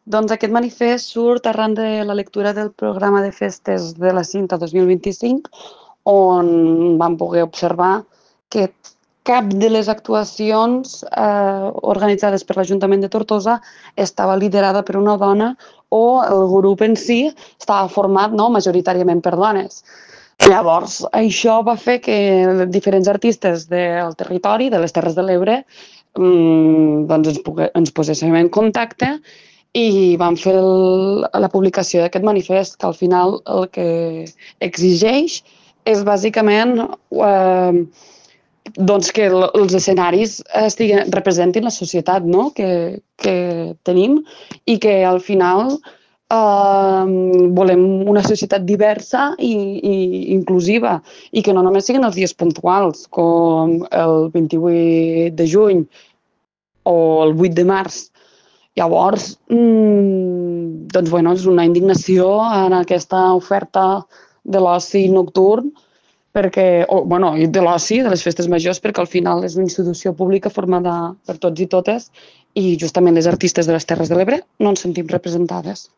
Doncs aquest manifest surt arran de la lectura del programa de festes de la Cinta 2025, on vam poder observar que cap de les actuacions organitzades per l'Ajuntament de Tortosa estava liderada per una dona o el grup en si estava format majoritàriament per dones. Llavors, això va fer que diferents artistes del territori, de les Terres de l'Ebre, doncs ens poséssim en contacte i vam fer la publicació d'aquest manifest, que al final el que exigeix és bàsicament doncs que els escenaris representin la societat, no? que tenim i que al final volem una societat diversa i inclusiva i que no només siguin els dies puntuals com el 28 de juny o el 8 de març. Llavors, doncs, bueno, és una indignació en aquesta oferta de l'oci nocturn perquè, i de l'oci, de les festes majors, perquè al final és una institució pública formada per tots i totes i justament les artistes de les Terres de l'Ebre no ens sentim representades.